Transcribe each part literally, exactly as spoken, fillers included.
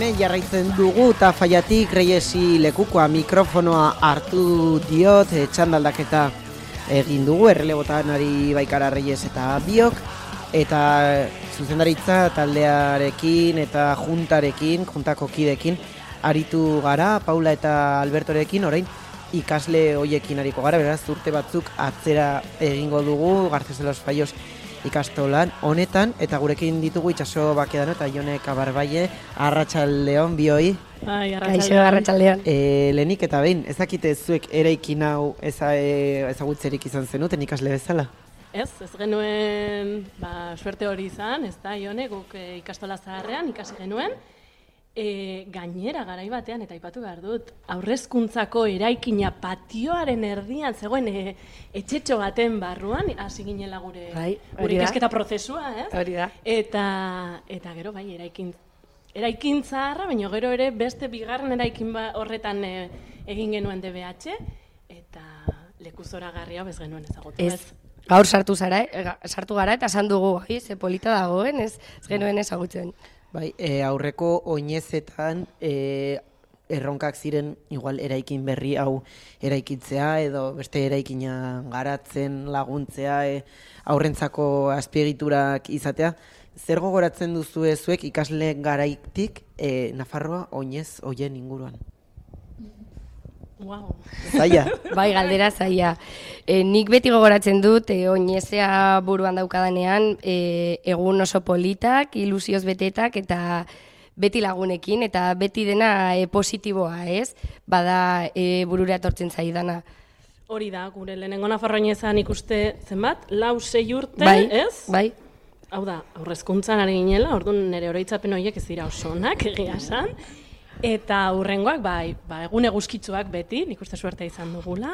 hemen jarraitzen dugu eta Faiatik Reyesi lekukoa mikrofonoa hartu diot, e, txandaldaketa egin dugu, errelebotan ari baikara Reyes eta biok, eta zuzendaritza taldearekin eta juntarekin, juntako kidekin, aritu gara, Paula eta Albertorekin, orain ikasle hoiekin ariko gara, beraz urte batzuk atzera egingo dugu, Garceselos Faios ikastolan honetan, eta gurekin ditugu Itxaso Bakedano eta Jone Kabarbaie, Arratsaldeon bioi. Bai, Arratsaldeon. E, lehenik eta behin, ez dakite zuek eraikin hau eza, e, ezagutzerik izan zenuten ikasle bezala? Ez, ez genuen ba, suerte hori izan, ez da, Jone, guk e, ikastola zaharrean ikasi genuen, e, gainera garai batean, eta aipatu behar dut, aurrezkuntzako eraikina patioaren erdian, zegoen e, etxetxo baten barruan, hasi ginela gure, bai, gure ikasketa prozesua, ez? Hori da. Eta, eta gero, bai, eraikin, eraikin zaharra, baina gero ere beste bigarren eraikin ba, horretan e, egin genuen D B H, eta leku zoragarria bez genuen ezagutu, ez? Ez. Gaur sartu zara, eh? sartu gara eta esan dugu, ai, ze polita dagoen, ez, ez genuen ezagutzen. Bai, e, aurreko oinezetan e, erronkak ziren igual eraikin berri hau eraikitzea edo beste eraikina garatzen laguntzea, e, aurrentzako azpiegiturak izatea. Zer gogoratzen duzu zuek ikasle garaitik e, Nafarroa oinez hoien inguruan? Wow. Zaila. Bai, galdera zaila. E, nik beti gogoratzen dut, e, oinezea buruan daukadanean, e, egun oso politak, ilusioz betetak, eta beti lagunekin, eta beti dena e, positiboa, ez? Bada e, burura etortzen zaidana. Hori da, gure lehenengo Nafarroa oinezan ikuste zenbat, lau sei urte, bai, ez? Bai, Hau da, aurrezkuntzan ari ginela, orduan nire oroitzapen horiek ez dira osonak, egia esan. Eta hurrengoak, bai, ba, egun eguzkitzuak beti, nik uste suerte izan dugula.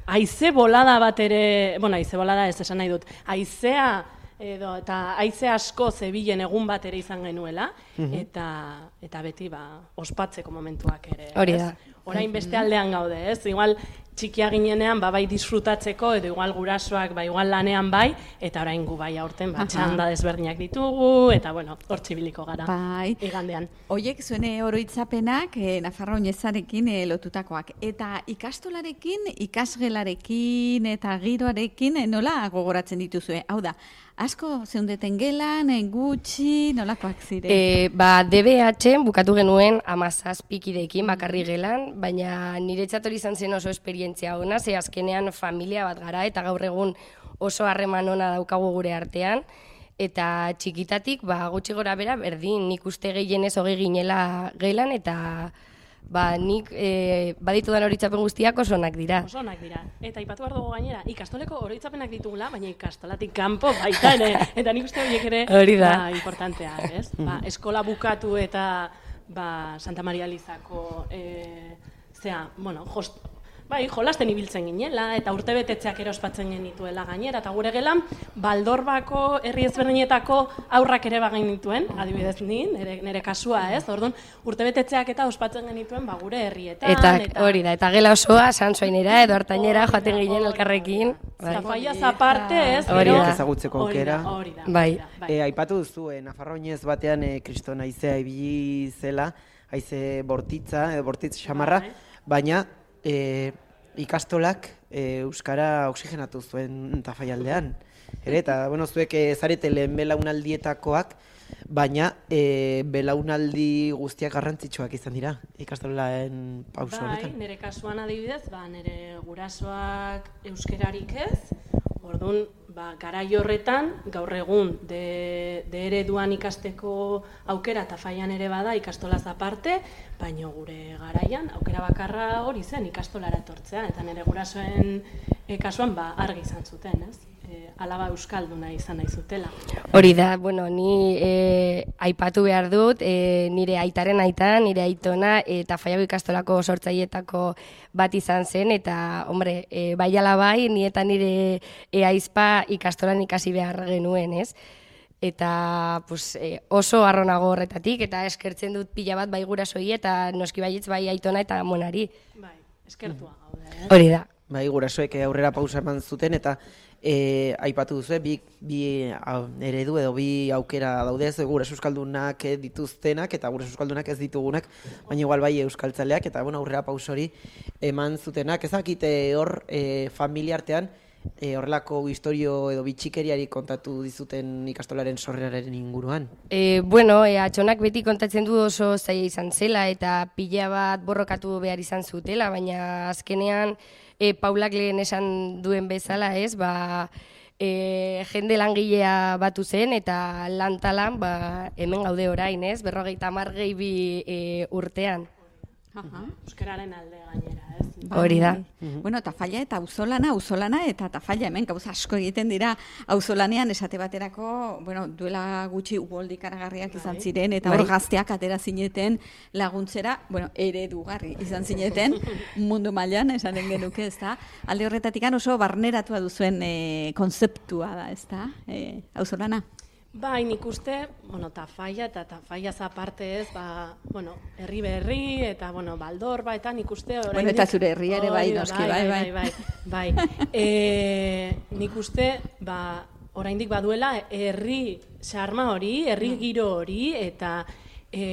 Haize bolada bat ere, bueno, haize bolada ez esan nahi dut, haizea edo, eta haize asko zebilen egun bat ere izan genuela, eta, eta beti, ba, ospatzeko momentuak ere. Hori da. Orain beste aldean gaude, ez? Igual txikia ginenean, ba, bai disfrutatzeko, edo igual gurasoak, ba, igual lanean bai, eta orain gu bai aurten, ba, txanda desberdinak ditugu, eta, bueno, hor txibiliko gara, bai. igandean. Oiek zuene oroitzapenak eh, Nafarroa oinezarekin eh, lotutakoak. Eta ikastolarekin, ikasgelarekin eta giroarekin eh, nola gogoratzen dituzue? Hau da, asko zeundeten gelan, eh, gutxi, nolakoak ziren? E, ba, D B H bukatu genuen amazazpikideekin bakarri gelan, baina niretzat hori izan zen oso esperientzia ona, ze azkenean familia bat gara, eta gaur egun oso harreman ona daukagu gure artean, eta txikitatik, ba, gutxi gora bera, berdin, nik uste gehienez hogei ginela gelan, eta ba, nik e, baditudan horitzapen guztiak oso onak dira. Oso onak dira. Eta ipatu behar dugu gainera, ikastoleko oroitzapenak ditugula, baina ikastolatik kanpo baita ere. Eta nik uste horiek ere hori da. Ba, importantea, ez? Ba, eskola bukatu eta ba, Santa Maria Elizako e, zea, bueno, jost, bai, jolasten ibiltzen ginela, eta urtebetetzeak ere ospatzen genituela gainera, eta gure gelan, Baldorbako herri ezberdinetako aurrak ere bagin dituen, adibidez ni, nire, nire kasua, ez? Orduan, urtebetetzeak eta ospatzen genituen ba, gure herrietan. Eta, eta hori da, eta gela osoa, Sansoainera edo Artainera joaten ginen elkarrekin. Zafaiaz aparte, ez? Hori da. Ezagutzeko aukera. Hori da, bai. bai. E, aipatu duzu, e, Nafarroa oinez batean e, kriston haizea ibili zela, haize bortitza, edo bortitz xamarra, baina e, ikastolak e, euskara oxigenatu zuen Tafaialdean. Ere, eta, bueno, zuek e, zarete lehen belaunaldietakoak, baina e, belaunaldi guztiak garrantzitsuak izan dira ikastolaen pauso honetan. Bai, nire kasuan adibidez, ba, nire gurasoak euskerarik ez, orduan, ba, garai horretan, gaur egun, de, de ereduan ikasteko aukera Tafaian ere bada ikastolaz aparte, baina gure garaian aukera bakarra hori zen ikastolara etortzea, eta nire gurasoen e, kasuan ba, argi izan zuten, ez? E, alaba euskalduna izan nahi zutela. Hori da, bueno, ni e, aipatu behar dut, e, nire aitaren aita, nire aitona, eta Tafaiako ikastolako sortzailetako bat izan zen, eta, hombre, e, bai ala bai, ni eta nire e, aizpa ikastolan ikasi behar genuen, ez? Eta pues, e, oso arronago horretatik, eta eskertzen dut pila bat bai gurasoi, eta noski baietz bai aitona eta monari. Bai, eskertua gaude, eh? Hori da. Bai, gurasoek aurrera pausa eman zuten, eta E, aipatu duzu, bi, bi eredu edo bi aukera daude, ez gure euskaldunak dituztenak eta gure euskaldunak ez ditugunak, baina igual bai euskaltzaleak eta bueno, aurrera pausori eman zutenak. Ezakite hor e, familia artean e, horrelako historio edo bitxikeriari kontatu dizuten ikastolaren sorreraren inguruan? E, bueno, e, atxonak beti kontatzen du oso zaila izan zela eta pila bat borrokatu behar izan zutela, baina azkenean E, Paulak lehen esan duen bezala, ez, ba, e, jende langilea batu zen eta lantalan ba, hemen gaude orain, ez, berrogeita hamar gehi bi e, urtean. Aha. Euskararen alde gainera, ez? Hori da. Bueno, Tafalla eta auzolana, auzolana eta Tafalla hemen gauza asko egiten dira auzolanean esate baterako, bueno, duela gutxi uboldi ikaragarriak izan ziren eta hor gazteak atera zineten laguntzera, bueno, eredugarri izan zineten mundu mailan esanen genuke, ezta? Alde horretatik oso barneratua duzuen e, konzeptua da, ezta? E, auzolana. Bai, nik uste, bueno, Tafalla eta Tafallaz aparte ez, ba, bueno, herri berri eta, bueno, Baldorba eta nik uste oraindik... Bueno, eta zure herria ere bai, noski, bai, bai. Bai, bai, bai. E, nik uste, ba, oraindik baduela herri xarma hori, herri giro hori eta e,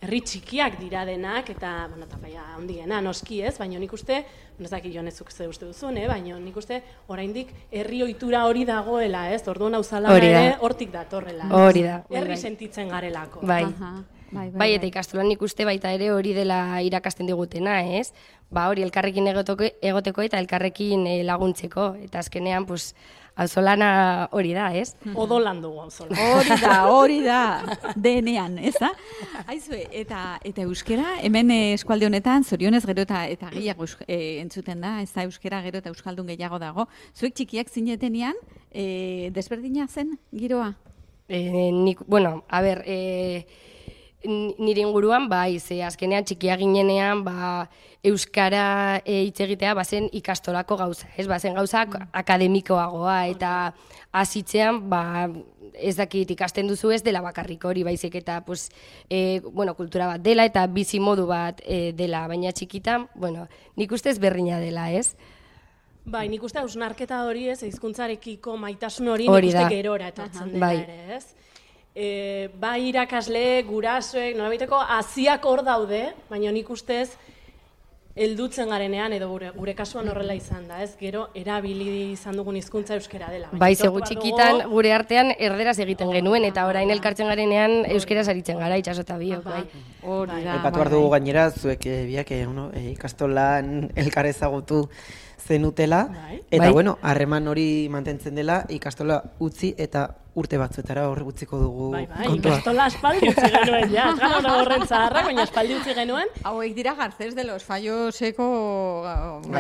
herri txikiak dira denak eta, bueno, Tafalla handiena noski ez, baina nik uste, ez dakit Jonezuk ze uste duzun, eh? Baina nik uste oraindik herri ohitura hori dagoela, ez? Orduan auzolana ere hortik datorrela. Hori da. Herri sentitzen garelako. Bai. Aha. Bai, bai, bai, eta ikastolan nik uste baita ere hori dela irakasten digutena, ez? Ba, hori elkarrekin egoteko, egoteko eta elkarrekin eh, laguntzeko. Eta azkenean, pues, auzolana hori da, ez? Odolan dugu auzolana. Hori da, hori da, denean, ez da? Aizue, eta, eta euskera, hemen eh, eskualde honetan, zorionez gero eta, eta gehiago eh, entzuten da, ez da euskera gero eta euskaldun gehiago dago. Zuek txikiak zinetenean, eh, desberdina zen giroa? Eh, nik, bueno, a ber, eh, nire inguruan, bai, ze azkenean txikia ginenean, ba, euskara hitz e, egitea bazen ikastolako gauza, ez? Bazen gauza akademikoagoa eta hasitzean, ba, ez dakit ikasten duzu ez dela bakarrik hori, baizik eta pues, e, bueno, kultura bat dela eta bizi modu bat e, dela, baina txikitan, bueno, nik ustez berdina dela, ez? Bai, nik uste hausnarketa hori ez, hizkuntzarekiko maitasun hori nik uste gerora etortzen dela ere, ez? E, bai irakasle, gurasoek, nolabaiteko haziak hor daude, baina nik ustez heldutzen garenean edo gure, gure kasuan horrela izan da, ez? Gero erabili izan dugun hizkuntza euskera dela. Bai, zegu txikitan gure artean erderaz egiten genuen eta orain elkartzen garenean euskeraz aritzen gara itxaso eta biok, bai. Hori da. Aipatu behar dugu gainera, zuek e, biak e, uno, e, ikastolan elkar ezagutu zenutela, eta bai. bueno, harreman hori mantentzen dela, ikastola utzi eta urte batzuetara horre utziko dugu bai, bai, kontua. Ikastola aspaldi utzi genuen, ja, ez gara hona horren zaharrak, baina aspaldi utzi genuen. Hauek dira Garcés de los Falloseko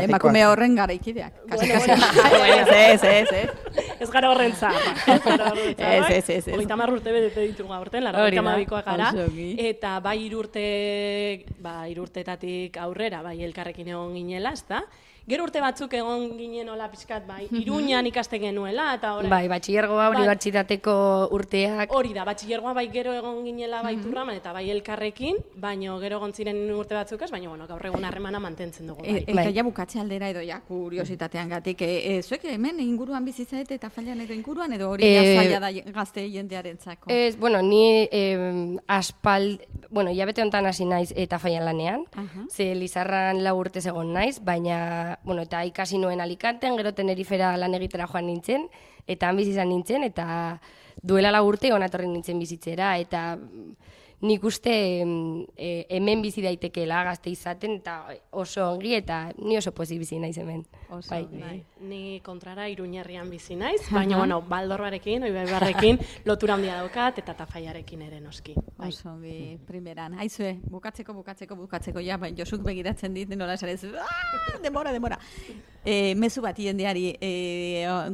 emakume horren garaikideak. Kasi, kasi. Ez, ez, ez, ez. Ez gara horren zaharrak. Ez gara horren zaharrak. Ez, ez, ez, ez. Hogeita hamar urte bedete ditugu aurten, larrogeita hamabikoak gara. Eta bai irurte, ba, irurtetatik aurrera, bai elkarrekin egon ginela, ezta? Gero urte batzuk egon ginen hola pixkat, bai, Iruñan ikaste genuela, eta orain... Bai, batxillergoa unibertsitateko urteak... Hori da, batxillergoa bai gero egon ginela bai turraman, eta bai elkarrekin, baino gero egon ziren urte batzuk ez, baina bueno, gaur egun harremana mantentzen dugu. Bai. E, eta ja bukatze aldera edo ja kuriositatean gatik, e, e, zuek hemen inguruan bizitzaet eta Fallan edo inguruan, edo hori e, zaila da gazte jendearentzako? Ez, bueno, ni eh, aspal... Bueno, hilabete honetan hasi naiz eta Fallan lanean, uh -huh. ze Lizarran lau urtez egon naiz, baina, bueno, eta ikasi nuen Alicanten, gero Tenerifera lan egitera joan nintzen, eta han bizi izan nintzen, eta duela lau urte onatorri nintzen bizitzera, eta nik uste e, hemen bizi daitekeela gazte izaten, eta oso ongi, eta ni oso pozik bizi naiz hemen. Oso bai. Bai. Ni kontrara Iruñerrian bizi naiz, baina, bueno, Baldorbarekin, Oibaibarrekin, lotura handia daukat, eta Tafallarekin ere noski. Bai. Oso ongi, primeran. Aizue, bukatzeko, bukatzeko, bukatzeko, ja, baina Josuk begiratzen dit, nola esarez, demora, demora. E, mezu bat jendeari, e,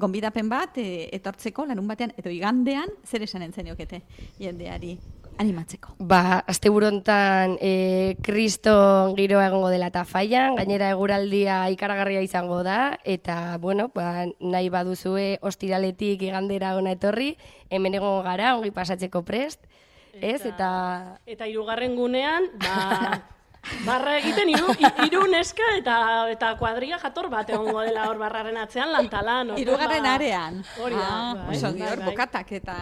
gonbidapen bat, e, etortzeko, lanun batean, edo igandean, zer esan entzeniokete jendeari? Animatzeko. Ba, asteburu hontan e, Kristo giroa egongo dela Tafallan, gainera eguraldia ikaragarria izango da, eta, bueno, ba, nahi baduzue ostiraletik igandera ona etorri, hemen egongo gara, ongi pasatzeko prest, ez, eta... Eta hirugarren gunean, ba... Barra egiten hiru hiru neska eta eta kuadria jator bat egongo dela hor barraren atzean lantalan. Hirugarren arean. Hori da. Ah, oso bai, hor bai. bokatak eta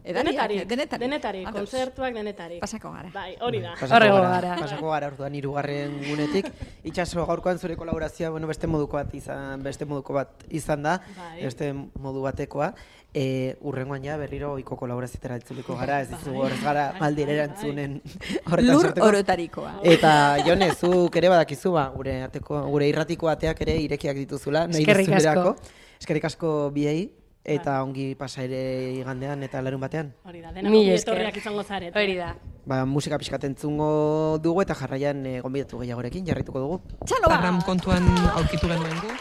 Denetarik, denetarik. denetarik, Ados. kontzertuak denetarik. Pasako gara. Bai, hori da. Pasako Horrengo gara, gara. pasako gara orduan hirugarren gunetik. Itxaso gaurkoan zure kolaborazioa, bueno, beste moduko bat izan, beste moduko bat izan da, Bai. beste modu batekoa. E, urrengoan ja berriro ohiko kolaborazioetara itzuliko gara, ez dizu horrez gara maldire erantzunen horretan Lur sorteko. orotarikoa. Eta Jone, zuk ere badakizu, ba, gure ateko, gure irratiko ateak ere irekiak dituzula, nahi Eskerrik asko. duzurako. Eskerrik asko biei, eta ongi pasa ere igandean eta larun batean. Hori da, denak Mila ongi esker. etorriak izango zarete. Hori da. Ba, musika pixkat entzungo dugu eta jarraian e, gonbidatu gehiagorekin jarraituko dugu. Txalo bat! Barram kontuan aurkitu genuen gu.